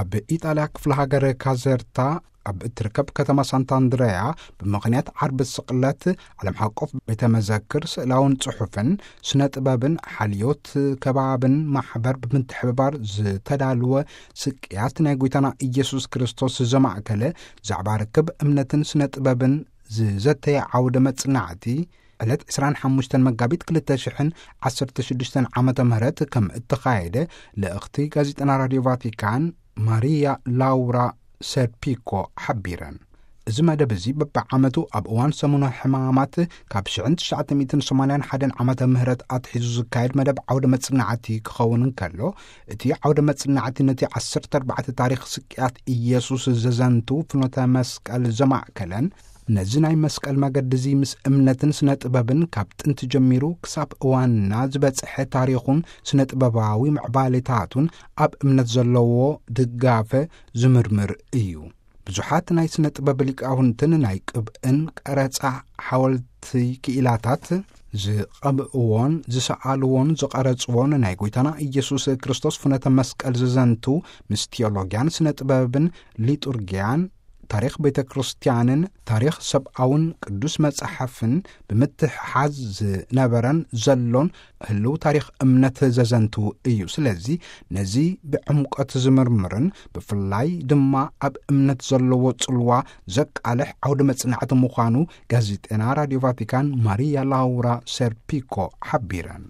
ኣብ ኢጣልያ ክፍለ ሃገር ካዘርታ ኣብ እትርከብ ከተማ ሳንታ ኣንድረያ፣ ብምኽንያት ዓርቢ ስቕለት ዓለም ሓቆፍ ቤተ መዘክር ስእላውን ጽሑፍን ስነ ጥበብን ሓልዮት ከባብን ማሕበር ብምትሕብባር ዝተዳልወ ስቅያት ናይ ጎይታና ኢየሱስ ክርስቶስ ዘማእከለ ዛዕባ ርክብ እምነትን ስነ ጥበብን ዝዘተየ ዓውደ መጽናዕቲ ዕለት ዕስራን ሓሙሽተን መጋቢት ክልተ ሽሕን ዓሰርተ ሽዱሽተን ዓመተ ምህረት ከም እተኻየደ ልእኽቲ ጋዜጠና ራድዮ ቫቲካን ማሪያ ላውራ ሰርፒኮ ሓቢረን። እዚ መደብ እዚ በብዓመቱ ኣብ እዋን ሰሙነ ሕማማት ካብ ሽሕን ትሽዓተ ሚእትን ሰማንያን ሓደን ዓመተ ምህረት ኣትሒዙ ዝካየድ መደብ ዓውደ መጽናዕቲ ክኸውን እንከሎ፣ እቲ ዓውደ መጽናዕቲ ነቲ ዓሰርተ ኣርባዕተ ታሪኽ ስቅያት ኢየሱስ ዘዘንቱ ፍኖተ መስቀል ዘማእከለን ነዚ ናይ መስቀል መገዲ እዚ ምስ እምነትን ስነ ጥበብን ካብ ጥንቲ ጀሚሩ ክሳብ እዋንና ዝበጽሐ ታሪኹን ስነ ጥበባዊ ምዕባሌታቱን ኣብ እምነት ዘለዎ ድጋፈ ዝምርምር እዩ። ብዙሓት ናይ ስነ ጥበብ ሊቃውንትን ናይ ቅብእን ቀረጻ ሓወልቲ ክኢላታት ዝቐብእዎን ዝሰኣልዎን ዝቐረጽዎን ናይ ጎይታና ኢየሱስ ክርስቶስ ፍኖተ መስቀል ዘዘንቱ ምስ ቴዎሎጊያን ስነ ጥበብን ሊጡርጊያን ታሪኽ ቤተ ክርስቲያንን ታሪኽ ሰብኣውን ቅዱስ መጽሓፍን ብምትሕሓዝ ዝነበረን ዘሎን ህልው ታሪኽ እምነት ዘዘንቱ እዩ። ስለዚ ነዚ ብዕምቆት ዝምርምርን ብፍላይ ድማ ኣብ እምነት ዘለዎ ጽልዋ ዘቃልሕ ዓውደ መጽናዕቲ ምዃኑ ጋዜጠና ራድዮ ቫቲካን ማሪያ ላውራ ሰርፒኮ ሓቢረን።